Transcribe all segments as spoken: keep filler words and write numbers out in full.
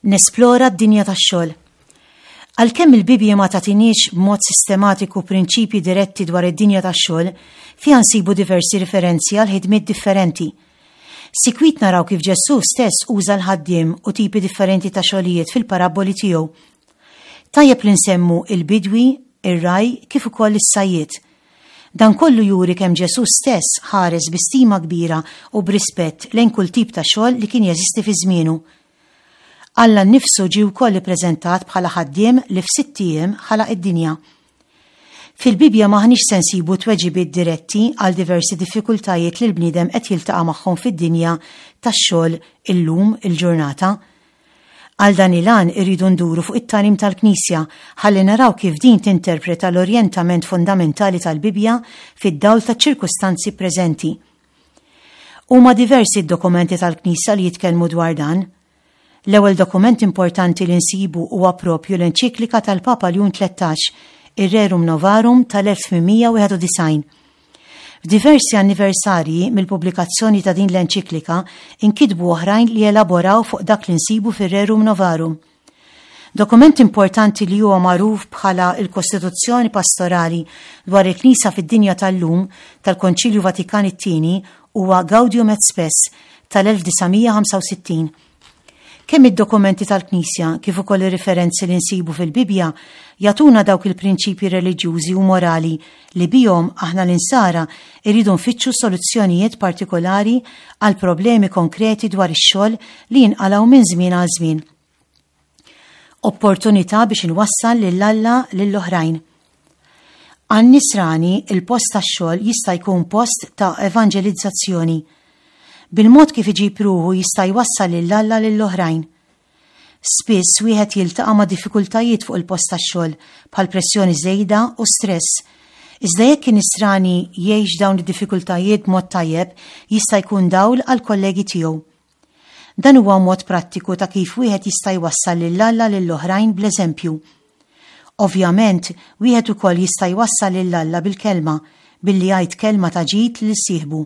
Nesplora d-dinja tax-xogħol. Għalkemm il-Bibbja ma tagħtiniex b'mod sistematiku prinċipji diretti dwar id-dinja tax-xogħol, fiha nsibu diversi riferenzi għal ħidmiet differenti. Sikwit naraw kif Ġesù stess uża l-ħaddiem u tipi differenti ta' xogħlijiet fil-parabboli tiegħu. Tajjeb li nsemmu il-bidwi, ir-ragħaj kif ukoll is-sajjied. Dan kollu juri kemm Ġesù stess ħares bi stima kbira u b'rispett lejn kull tip ta' xogħol li kien jeżisti fi żmienu. Alla nnifsu ġie wkoll ippreżentat bħala ħaddiem li f'sitt ijiem ħalaq id-dinja. Fil-Bibbja m'aħniex se nsibu tweġibiet diretti għal diversi diffikultajiet li l-bniedem qed jiltaqa' magħhom fid-dinja tax-xogħol illum il-ġurnata. Għal dan il-għan irridu nduru fuq it-tagħlim tal-Knisja ħalli naraw kif din tinterpreta l-orjentament fundamentali tal-Bibbja fid-dawl taċ-ċirkustanzi preżenti. Huma diversi d-dokumenti tal-Knisja li jitkellmu dwar dan. L-ewwel dokument importanti li nsibu huwa propju l-enċiklika tal-Papa Ljun Tlettax, ir-Rerum Novarum tal-elf tmien mija wieħed u disgħin. F'diversi anniversarji mill-pubblikazzjoni ta' din l-enċiklika inkitbu oħrajn li elaboraw fuq dak li nsibu fir-Rerum Novarum. Dokument importanti li huwa magħruf bħala il-Kostituzzjoni Pastorali dwar il-Knisja fid-dinja tal-lum tal-Konċilju Vatikan it-tieni huwa Gaudium et Spes tal-elf disa' mija ħamsa u sittin. Kemm id-dokumenti tal-Knisja kif ukoll ir-riferenzi li nsibu fil-Bibbja jagħtuna dawk il-prinċipji reliġjużi u morali li bihom aħna l-insara irridu nfittxu soluzzjonijiet partikolari għal problemi konkreti dwar ix-xogħol li jinqalgħu minn żmien għal żmien. Opportunità biex inwassal lil Alla lill-oħrajn. Għan-nisrani il-post tax-xogħol jista' jkun post ta' evanġelizzazzjoni. Bil-mod kif iġib ruħu jista' jwassal lil Alla lill-oħrajn. Spiss wieħed jiltaqa' ma' diffikultajiet fuq il-post tax-xogħol bħal pressjoni żejda u stress. Iżda jekk in-nisrani jgħix dawn id-diffikultajiet b'mod tajjeb, jista' jkun dawl għal kollegi tiegħu. Dan huwa mod prattiku ta' kif wieħed jista' jwassal lil Alla lill-oħrajn bl-eżempju. Ovvjament, wieħed ukoll jista' jwassal lil Alla bil-kelma, billi jgħid kelma ta' ġid lil sieħbu.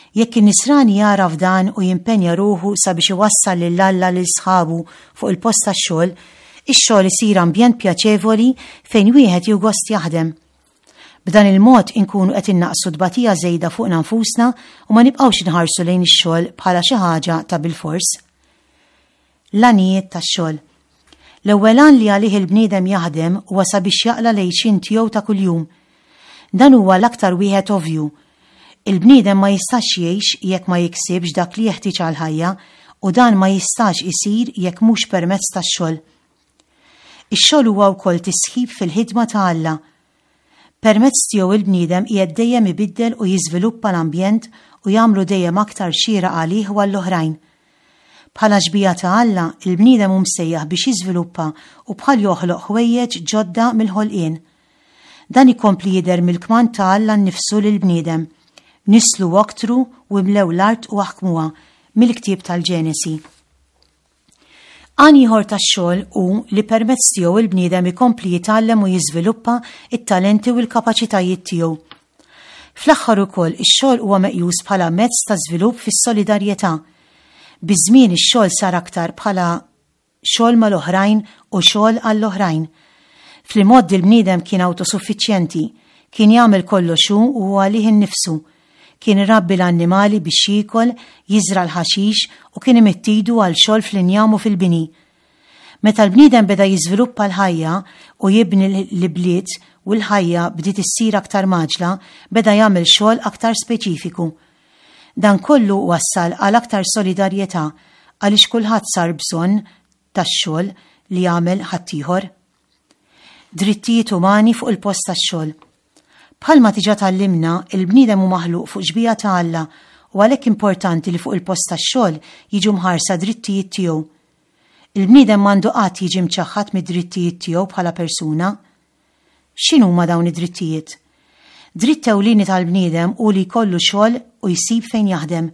Jekk in-nisrani jara f'dan u jimpenja ruħu sabiex iwassal lil Alla lil sħabu fuq il-post tax-xogħol, ix-xogħol isir ambjent pjaċevoli fejn wieħed jieħu gost jaħdem. B'dan il-mod inkunu qed innaqsu tbatija żejda fuqna nfusna u ma nibqgħux inħarsu lejn ix-xogħol bħala xi ħaġa ta' bilfors. L-għanijiet tax-xogħol. L-ewwel għan li għalih il-bniedem jaħdem huwa sabiex jaqla' l-għixien tiegħu ta' kuljum. Dan huwa l-aktar wieħed ovvju. Il-bniedem ma jistax jgħix jekk ma jiksibx dak li jeħtieġ għall-ħajja u dan ma jistax isir jekk mhux permezz tax-xogħol. Ix-xogħol huwa wkoll tisħib fil-ħidma ta' Alla. Permezz tiegħu il-bniedem qiegħed dejjem ibiddel u jiżviluppa l-ambjent u jagħmlu dejjem aktar xieraq għalih u għall-oħrajn. Bħala xbieha ta' Alla, il-bniedem hu msejjaħ biex jiżviluppa u bħal joħloq ħwejjeġ ġodda mill-ħolqien. Dan ikompli jidher mill-kmand ta' Alla nnifsu lill-bniedem. Nislu waktru u imlew l-art u aħkmuha mill-ktieb tal-Ġenesi. Għan ieħor tax-xogħol hu li permezz tiegħu il-bniedem ikompli jitgħallem u jiżviluppa it-talenti u l-kapaċitajiet tiegħu. Fl-aħħar ukoll ix-xogħol huwa meqjus bħala mezz ta' żvilupp fis-solidarjetà. Biż-żmien ix-xogħol sar aktar bħala xogħol mal-oħrajn u xogħol għall-oħrajn. Fl-imgħoddi l-bniedem kien awtosuffiċjenti, kien jagħmel kollox hu u għalih innifsu. Kien irabbi l-annimali biex jiekol, jiżra' l-ħaxix u kien imidd idu għal xogħol fl-injam u fil-bini. Meta l-bniedem beda jiżviluppa l-ħajja u jibni l-bliet u l-ħajja bdiet issir aktar maġla, beda jagħmel xogħol aktar speċifiku. Dan kollu wassal għal aktar solidarjetà għaliex kulħadd sar bżonn tax-xogħol li jagħmel ħaddieħor. Drittijiet umani fuq il-post tax-xogħol. Bħalma diġà tgħallimna, il-bniedem hu maħluq fuq xbieha ta' Alla u għalhekk importanti li fuq il-post tax-xogħol jiġu mħarsa drittijiet tiegħu. Il-bniedem m'għandu qatt jiġi mċaħħad mid-drittijiet tiegħu bħala persuna. X'inhuma dawn id-drittijiet? Dritt ewlieni tal-bniedem hu li jkollu xogħol u jsib fejn jaħdem.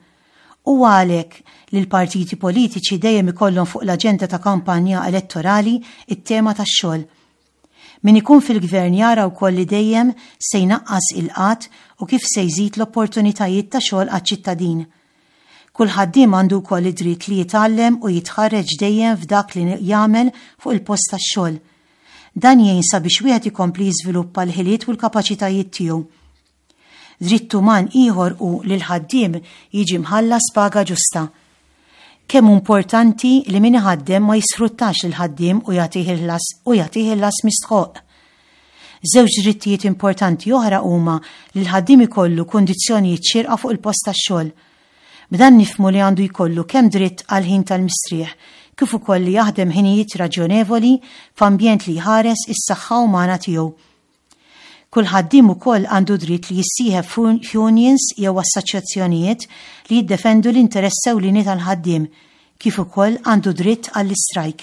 Huwa għalhekk li l-partiti politiċi dejjem ikollhom fuq l-aġenda ta' kampanja elettorali it-tema tax-xogħol. Min ikun fil-gvern jara wkoll li dejjem se jnaqqas il-qgħad u kif se jżid l-opportunitajiet ta' xogħol għaċ-ċittadin. Kull ħaddiem għandu wkoll id-dritt li jitgħallem u jitħarreġ dejjem f'dak li jagħmel fuq il-post tax-xogħol. Dan jgħin sabiex wieħed ikompli jiżviluppa l-ħiliet u l-kapaċitajiet tiegħu. Dritt uman ieħor hu li l-ħaddiem jiġi mħallas paga ġusta. Kemm hu importanti li min iħaddem ma jisfruttax lill-ħaddiem u jagħtih il-ħlas u jagħtih il-ħlas mistħoq. Żewġ drittijiet importanti oħra huma li l-ħaddiem ikollu kundizzjonijiet xierqa fuq il-post tax-xogħol. B'dan nifhmu li għandu jkollu kemm dritt għal ħin tal-mistrieħ, kif ukoll li jaħdem ħinijiet raġjonevoli f'ambjent li jħares is-saħħa umana tiegħu. Kull ħaddiem ukoll għandu dritt li jissieħeb f'unions jew assoċjazzjonijiet li jiddefendu l-interess ewlieni tal-ħaddiem, kif ukoll għandu dritt għall-istrajk.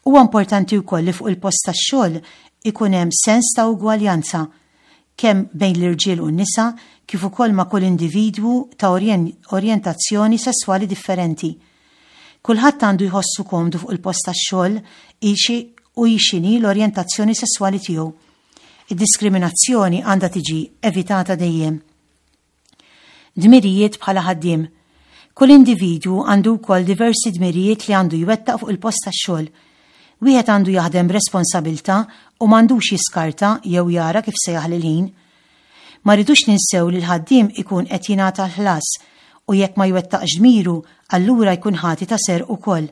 Huwa importanti wkoll li fuq il-post tax-xogħol ikun hemm sens ta' ugwaljanza kemm bejn l-irġiel u n-nisa kif ukoll ma' kull individwu ta' orjentazzjoni sesswali differenti. Kulħadd għandu jħossu komdu fuq il-post tax-xogħol u x'inhi l-orjentazzjoni sesswali tiegħu. Id-diskriminazzjoni għandha tiġi evitata dejjem. Dmirijiet bħala ħaddiem. Kull individwu għandu wkoll diversi dmirijiet li għandu jwettaq fuq il-post tax-xogħol. Wieħed għandu jaħdem b'responsabilità u m'għandux jiskarta jew jara kif se jaħli l-ħin. Ma rridux ninsew li l-ħaddiem ikun qed jingħata l-ħlas u jekk ma jwettaqx dmiru, allura jkun ħati ta' serq ukoll.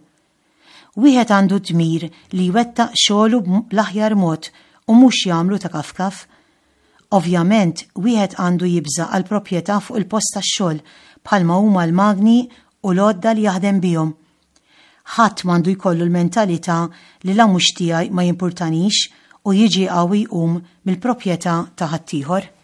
Wieħed għandu dmir li jwettaq xogħlu bl-aħjar mod u mhux jagħmlu ta' kafkaf. Ovvjament, wieħed għandu jibża' għal proprjetà fuq il-post tax-xogħol bħalma huma l-magni u l-għodda li jaħdem bihom. Ħadd m'għandu jkollu l-mentalità li la mhux tiegħi ma jimpurtanix u jiġi qawwi jqum mill-proprjetà ta' ħaddieħor.